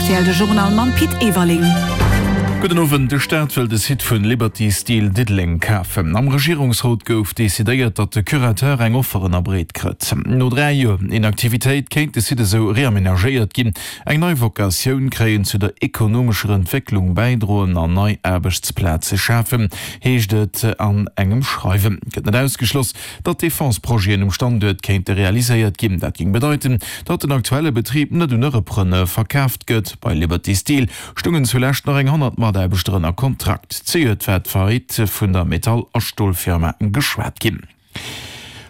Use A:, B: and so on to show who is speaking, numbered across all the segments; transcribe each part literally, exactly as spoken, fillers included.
A: rtl, de Journal mam Pit Everling.
B: Gudden Owend, De Staat wëll de Site vun Liberty Steel Diddeleng kafen. Am Regierungsrot gouf decidéiert, datt de Curateur eng Offer ënnerbreet kritt. No dräi Joer Inaktivitéit kéint de Site esou reamenagéiert ginn, eng nei Vocatioun kréien, zu der ekonomescher Entwécklung bäidroen an nei Aarbechtsplaze schafen, heescht et an engem Schreiwen. Et gëtt net ausgeschloss, datt Defense-Projeten um Standuert kéinte realiséiert ginn. Dat géing bedeiten, datt den aktuelle Betrib net un e Repreneur verkaaft gëtt. Bei Liberty Steel stungen zulescht nach eng honnert Mataarbechter ënner Kontrakt. Zejoert war d'Faillite vun der Metall a Stolfirma geschwat ginn.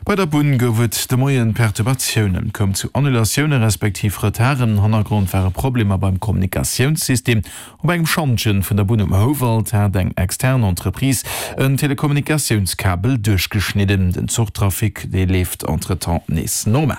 B: Bei der Bunn gouf et de Moien Perturbatiounen. Et koum zu Annulatioune respektiv Retarden. Hannergrond ware Problemer beim Kommunikatiounssystem. Op engem Schantjen vun der Bunn um Houwald hat eng extern Entreprise en Telekommunikatiounskabel duerchgeschnidden. Den Zuchtrafic, dee leeft entretemps nees normal.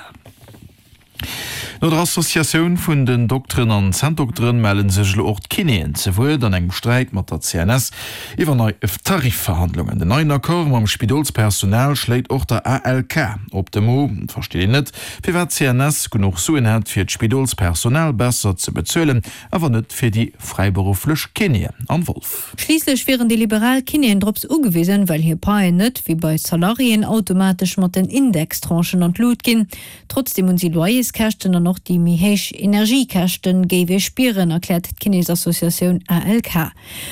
B: No der Associatioun vun den Dokteren an Zänndokteren melle sech elo och d'Kinéen ze Wuert an engem Sträit mat der C N S iwwer nei Tarifverhandlungen. Den neien Accord mam Spidolspersonal schléit och der A L K op de Mo. Et versteet een net, firwat d'C N S genuch Suen hätt, fir d'Spidolspersonal besser ze bezuelen, awer net fir déi fräiberufflech Kinéen. Anne Wolff.
C: Schliisslech wieren déi liberal Kinéen drops ugewisen, well hir Paien net, wéi bei Salariéen, automatesch mat den Indextranchen an d'Lut ginn. Trotzdeem hunn si Loyerskäschten an och déi méi héich Energiekäschten géif ee spieren, erkläert d'Kinésassociatioun A L K.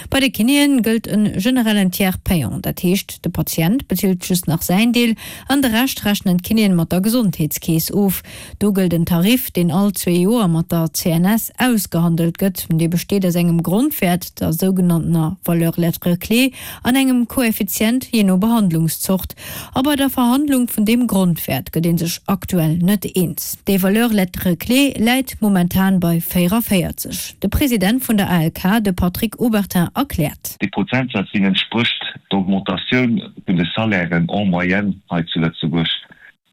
C: Bei de Kinéen gëllt e generellen Tiers payant, dat heescht de Patient bezilt just nach säin Deel an de Rescht rechnen d'Kinéen mat der Gesondheetskeess of. Do gëllt en Tarif, deen all zwee Joer mat der C N S ausgehandelt gëtt. Dee besteet aus engem Grondwäert, der sougenanntener Valeur lettre clé, an engem Koeffizient jee no Behandlungszort. A bei der Verhandlung vun deem Grondwäert gëtt ee sech aktuell net eens. Déi Valeur lettre clé läit momentan bei véierunvéierzeg. De President vun der A L K, de Patrick Obertin, erkläert.
D: Dee Prozentsaz, deen entsprécht der Augmentatioun vun de Salairen en moyenne hei zu Lëtzebuerg.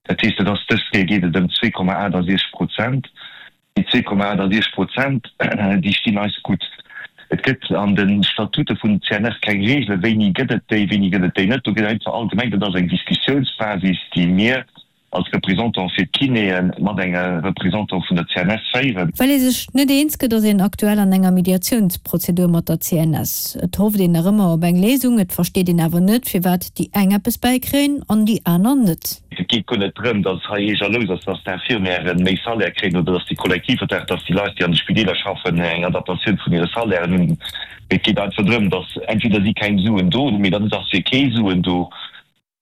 D: Dat heescht, et ass dës Kéier geet et ëm zwee Komma aachtasechzeg Prozent. Déi zwee Komma aachtasechzeg Prozent, déi stinn eis gutt. Et gëtt an de Statute vun C N S keng Reegelen, wéini gëtt et déi, wéini gëtt et déi net. Do gëtt einfach allgemeng, dat ass eng Diskussiounsbasis, déi mir als Représentant fir d'Kinéen mat engem Représentant vun der C N S féieren.
C: Well ee sech net eens gëtt, ass een aktuell an enger Mediatiounsprozedur mat der C N S. Et hofft een nach ëmmer op eng Léisung, et versteet een awer net, firwat déi eng eppes bäikréien an déi aner net.
D: Et geet guer net drëm, datt hei ee jalous ass, datt d'Infirmièren méi Salaire kréien oder datt déi Kollektivvertrag, datt déi Leit, déi an de Spideeler schaffen, eng Adaptatioun vun hire Salairen hunn. Et geet einfach drëm, datt entweder si keng Suen do hunn, mee dann ass fir kee Suen do.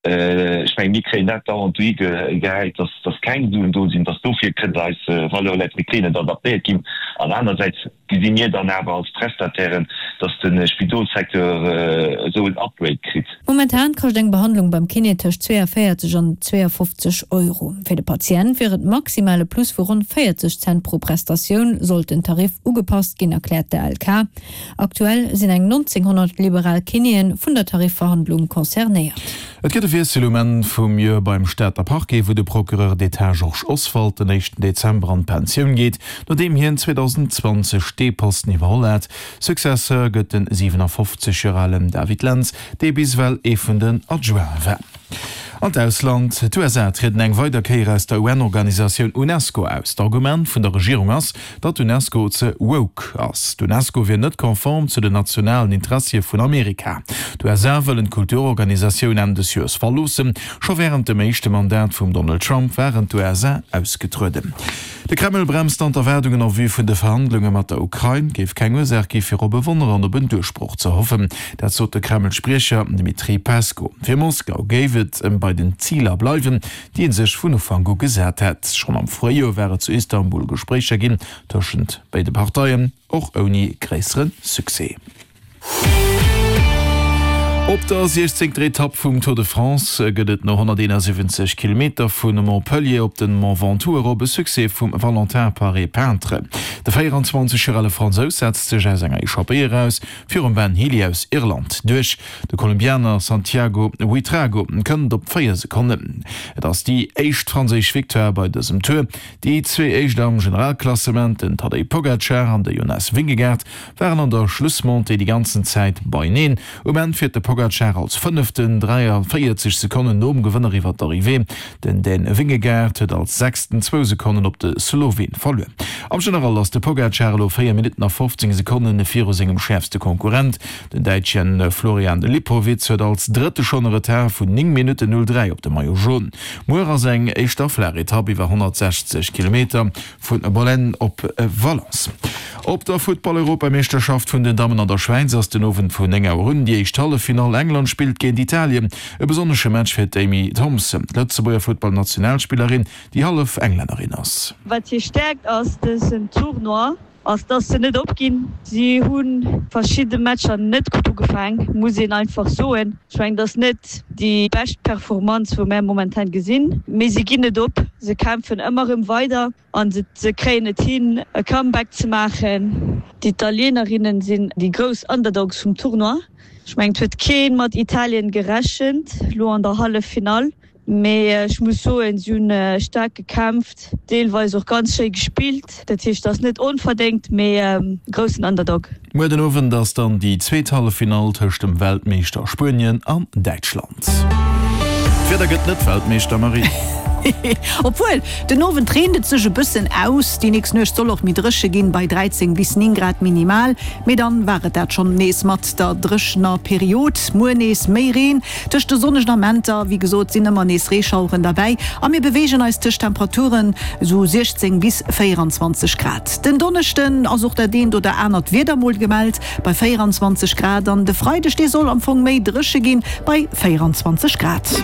D: Ech mengen, mir kréien dat dauernd dohigehäit, datt, datt keng Suen do sinn, datt dofir kënnt eis Valeur lettre clé net adaptéiert ginn. An anersäits gesi mir dann awer als Prestatairen, datt de Spidolssecteur esou en Upgrade kritt.
C: Momentan kascht eng Behandlung beim Kiné tëscht zweeënvéierzeg an zweeënfofzeg Euro. Fir de Patient wier et maximal e Plus vu ronn véierzeg Cent pro Prestatioun, sollt den Tarif ugepasst ginn, erkläert d'A L K. Aktuell sinn eng nonzénghonnert liberal Kinéen vun der Tarifverhandlung concernéiert.
B: Et gëtt e Wiessel um Enn vum Joer beim Stater Parquet, wou de Procureur d'État Georges Oswald den éischten Dezember an d'Pensioun geet, nodeem hien zweedausendenzwanzeg dee Posten iwwerholl hat. Successeur gëtt den siwenafofzeg Joer alen David Lentz, dee bis ewell ee vun den Adjointe war. An d'Ausland, D'U S A trieden eng weider Kéier aus der U N-Organisatioun UNESCO aus. D'Argument vun der Regierung ass, datt d'UNESCO ze woke ass. D'UNESCO wier net konform zu den nationalen Interessie vun Amerika. D'U S A wëllen d'Kulturorganisatioun Enn des Joers verloossen. Scho wärend dem éischte Mandat vum Donald Trump waren d'U S A ausgetrueden. De Kreml bremst dann d'Erwaardungen en vue vun de Verhandlunge mat der Ukrain. Et géif keng Ursaach gi fir op e Wonner an op en Duerchbroch ze hoffen. Dat sot de Kreml-Spriecher Dmitri Peskow. Fir Moskau géif et ëm bei den Ziler bleiwen, déi ee sech vun Ufank u gesat hätt. Schonn am Fréijoer war et zu Istanbul Gespréicher ginn tëschent béide Parteien, och ouni gréissere Succès. Op der siechzéngter Etapp vum Tour de France gëtt et no honnerteenasiwwenzeg Kilometer vu Montpellier op de Mont Ventoux erop e Succès vum Valentin Paret-Peintre. De véierundzwanzeg Joer ale Fransous setzt sech aus enger Echappée eraus virum Ben Healy aus Irland duerch. De Kolumbianer Santiago Buitrago kënnt op véier Sekonnen. Et ass déi éischt franséisch Victoire bei dësem Tour. Déi zwee éischt am Generalklassement, den Tadej Pogacar an de Jonas Vingegaard, waren an der Schlussmontée déi ganzen Zäit beieneen. Um Enn fiert de Pogacar als Fënneften dräiavéierzeg Sekonnen nom Gewënner iwwer d'Arrivée. Den Dän Vingegaard huet als Sechsten zwou Sekonnen op de Sloween verluer. Am General ass de Pogacar elo véier Minutten a fofzéng Sekonne viru sengem schäerfste Konkurrent. Den Däitsche Florian Lipowitz huet als Drëtte schonn e Retard vun néng Minutten null dräi op de Maillot Jaune. Muer ass eng éischter flaach Etapp iwwer honnertsechzeg Kilometer vu Bollène op Valence. Op der Futtball-Europameeschterschaft vun den Dammen an der Schwäiz ass den Owend vun néng Auer un déi éischt Halleffinall. England spillt géint Italien. E besonnesche Match fir d'Amy Thompson, d'Lëtzebuerger Futtballnationalspillerin, déi hallef Englännerin ass.
E: Wat hir Stäerkt ass dësen Tournoi, ass dass se net opginn. Si hu verschidde Matcher net gutt ugefaang, muss een einfach soen. Ech mengen, et ass net déi bescht Performance wou mär momentan gesinn, mee si ginn net op, se kämpfen ëmmer erëm weider a se kréien et hin e Comeback ze maachen. D'Italienerinnen sinn déi grouss Underdogs vum Tournoi. Ech mengen, et huet kee mat Italien gerechent lo an der Halleffinall. Mee ech muss soen, si hunn staark gekämpft, deelweis och ganz schéi gespillt. Dat heescht, et ass net onverdéngt, mee groussen Underdog.
B: Muer den Owend ass dann déi zweet Halleffinall tëscht dem Weltmeeschter Spuenien an Däitschland. D'Wieder gëtt net Weltmeeschter, Marie.
A: Obwuel, den Owend reent et sech e bëssen aus. Déi nächst Nuecht soll och méi dréche ginn, bei dräizéng bis néng Grad minimal. Mee dann war et dat schonn nees mat der dréchener Period. Muer nees méi Reen, tëscht de sonnegen Amenter, wéi gesot, sinn ëmmer nees Reeschaueren derbäi a mir beweegen eis tëscht Temperaturen esou siechzéng bis véieranzwanzeg Grad. Den Donneschden ass och dat eent oder anert Wieder mol gemellt bei véieranzwanzeg Grad an de Freideg, dee soll am Fong méi dréche ginn bei véieranzwanzeg Grad.